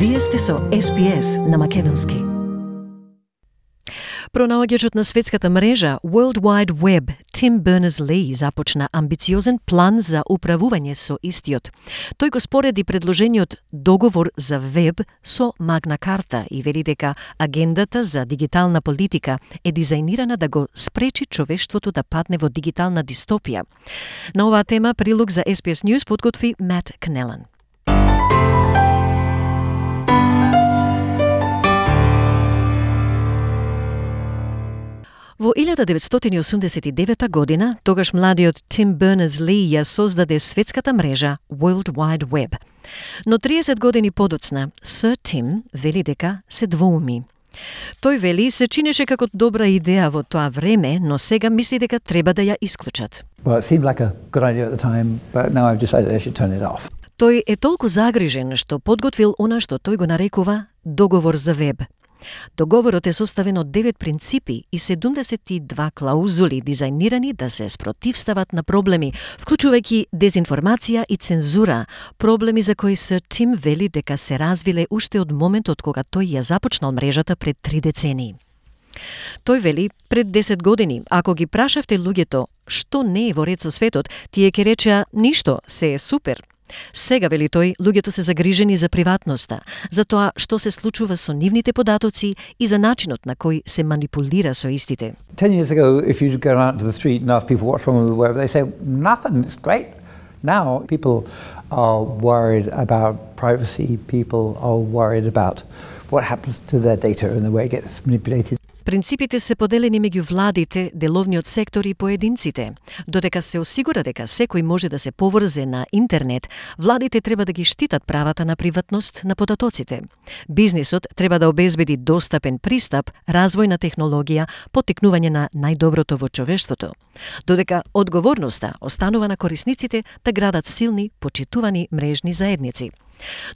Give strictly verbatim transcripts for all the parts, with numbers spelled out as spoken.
Вие сте со Ес Би Ес на македонски. Пронаоѓачот на светската мрежа World Wide Web, Tim Berners-Lee, започна амбициозен план за управување со истиот. Тој го спореди предложениот договор за веб со Магна Карта и вели дека агендата за дигитална политика е дизајнирана да го спречи човештвото да падне во дигитална дистопија. На оваа тема прилог за Ес Би Ес News подготви Мат Кнелан. Во илјада деветстотини осумдесет и девета година, тогаш младиот Тим Бернерс-Ли ја создаде светската мрежа World Wide Web. Но триесет години подоцна, Сир Тим вели дека се двоуми. Тој вели се чинеше како добра идеја во тоа време, но сега мисли дека треба да ја исклучат. Well, it seemed like a good idea at the time, but now I've decided I should turn it off. Тој е толку загрижен што подготвил она што тој го нарекува договор за веб. Договорот е составен од девет принципи и седумдесет и две клаузули дизајнирани да се спротивстават на проблеми, вклучувајќи дезинформација и цензура, проблеми за кои Сир Тим вели дека се развиле уште од моментот кога тој ја започнал мрежата пред три децении. Тој вели, пред десет години, ако ги прашавте луѓето што не е во ред со светот, тие ќе речеа ништо, се е супер. Сега, вели тој, луѓето се загрижени за приватноста, за тоа што се случува со нивните податоци и за начинот на кој се манипулира со истите. Ten years ago, if you go out to the street and ask people what's wrong with the web, they say, nothing, it's great. Now, people are worried about privacy, people are worried about what happens to their data and the way it gets manipulated. Принципите се поделени меѓу владите, деловниот сектор и поединците. Додека се осигура дека секој може да се поврзе на интернет, владите треба да ги штитат правата на приватност на податоците. Бизнисот треба да обезбеди достапен пристап, развој на технологија, поттикнување на најдоброто во човештвото. Додека одговорноста останува на корисниците да градат силни, почитувани мрежни заедници.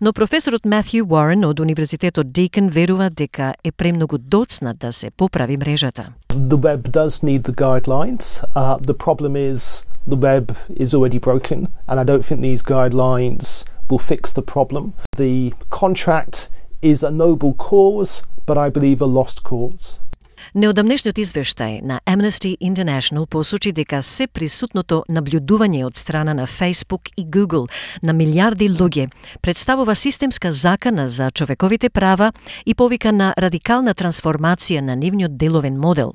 Но професорот Матју Уорен од Универзитетот Дикон верува дека е премногу доцна да се поправи мрежата. The web does need the guidelines. Uh, the problem is the web is already broken, and I don't think these guidelines will fix the problem. The contract is a noble cause, but I believe a lost cause. Неодамнешниот извештај на Amnesty International посочи дека се присутното наблюдување од страна на Facebook и Google на милиарди луѓе представува системска закана за човековите права и повика на радикална трансформација на нивниот деловен модел.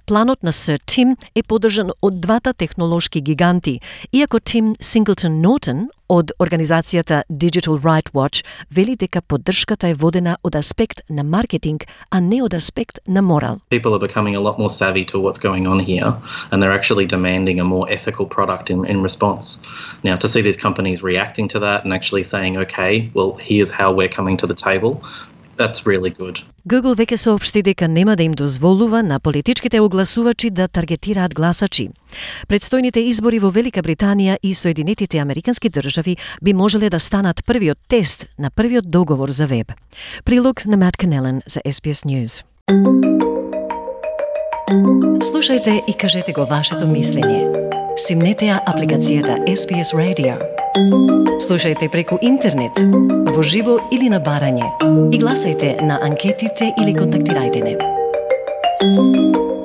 Планот на Сир Тим е поддржан од двата технолошки гиганти, иако Тим Синглтон Нортон од организацијата Digital Right Watch вели дека поддршката е водена од аспект на маркетинг, а не од аспект на морал. People are becoming a lot more savvy to what's going on here, and they're actually demanding a more ethical product in, in response. Now, to see these companies reacting to that and actually saying, okay, well, here's how we're coming to the table, that's really good. Google веќе соопшти дека нема да им дозволува на политичките огласувачи да таргетираат гласачи. Предстојните избори во Велика Британија и Соединетите Американски држави би можеле да станат првиот тест на првиот договор за веб. Прилог на Мат Кнелан за Ес Би Ес News. Слушајте и кажете го вашето мислење. Симнете ја апликацијата Ес Би Ес Radio. Слушајте преку интернет, во живо или на барање, и гласајте на анкетите или контактирајте не.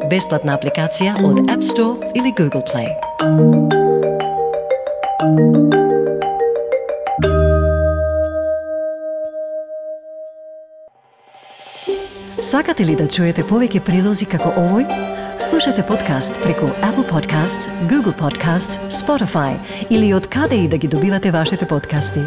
Бесплатна апликација од App Store или Google Play. Сакате ли да чуете повеќе прилози како овој? Слушате подкаст преку Apple Podcasts, Google Podcasts, Spotify или од каде и да ги добивате вашите подкасти.